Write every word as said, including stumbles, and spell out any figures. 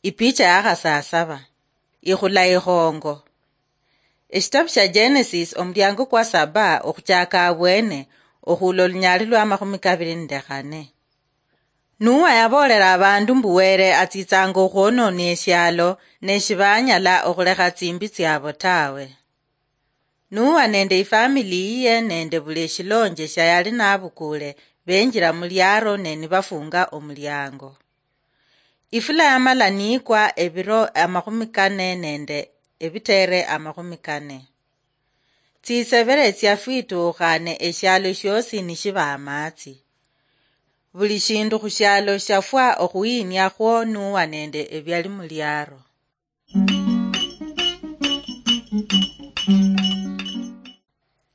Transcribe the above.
Ipicha yakhasasaba. Ikhula ikhongo. Eshitabu shia Genesis, omulyango kwa saba, okhuchaka abwene, okhula olunyaali lwa makhumi kabiri nende khane. Nuwa yaboolera abandu mbu Wele atsitsanga okhwonona eshialo, ne shibanyala okhulekha tsimbi tsiabo tawe. Nuwa nende ifamili yiye nende buli eshilonje shia yali nabukule, benjira muliaro ne nibafunga omulyango. Ifula yamala nikwa ebiro amakhumi kane nende ebitere amakhumi kane. Tsisebere tsiafwitukhane eshialo shiosi nishiba amatsi. Buli shindu khushialo shiafwa okhuyinia khwo Nuwa nende ebiali muliaro.